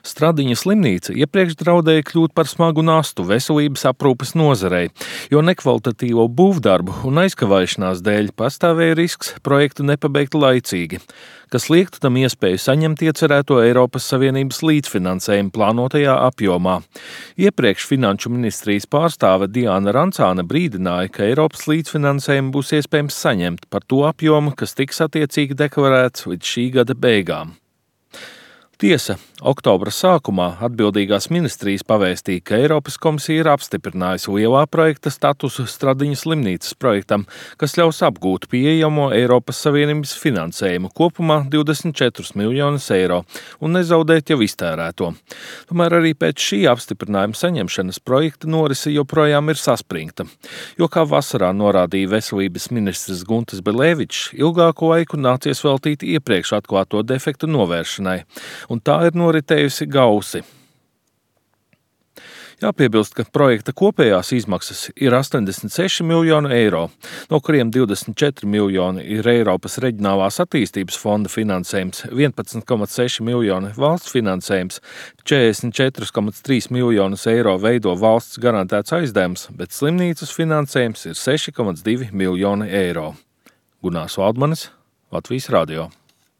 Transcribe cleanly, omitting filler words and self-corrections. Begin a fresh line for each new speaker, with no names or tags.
Stradiņa slimnīca iepriekš draudēja kļūt par smagu nastu veselības aprūpes nozarei, jo nekvalitatīvo būvdarbu un aizkavēšanās dēļ pastāvēja risks projektu nepabeigt laicīgi, kas liektu tam iespēju saņemt iecerēto Eiropas Savienības līdzfinansējumu plānotajā apjomā. Iepriekš Finanšu ministrijas pārstāve Diana Rancāne brīdināja, ka Eiropas līdzfinansējumu būs iespējams saņemt par to apjomu, kas tiks attiecīgi deklarēts līdz šī gada beigām. Tiesa, oktobra sākumā atbildīgās ministrijas pavēstīja, ka Eiropas komisija ir apstiprinājusi lielā projekta statusu Stradiņa slimnīcas projektam, kas ļaus apgūt pieejamo Eiropas Savienības finansējumu kopumā 24 miljonus eiro un nezaudēt jau iztērēto. Tomēr arī pēc šī apstiprinājuma saņemšanas projekta norise joprojām ir saspringta, jo, kā vasarā norādīja veselības ministrs Guntis Belēvičs, ilgāku laiku nācies veltīt iepriekš atklāto defektu novēršanai. Un tā ir noritējusi gausi. Jāpiebilst, ka projekta kopējās izmaksas ir 86 miljoni eiro, no kuriem 24 miljoni ir Eiropas reģionālās attīstības fonda finansējums, 11,6 miljoni valsts finansējums, 44,3 miljonus eiro veido valsts garantēts aizdevums, bet slimnīcas finansējums ir 6,2 miljoni eiro. Gunārs Valdmanis, Latvijas radio.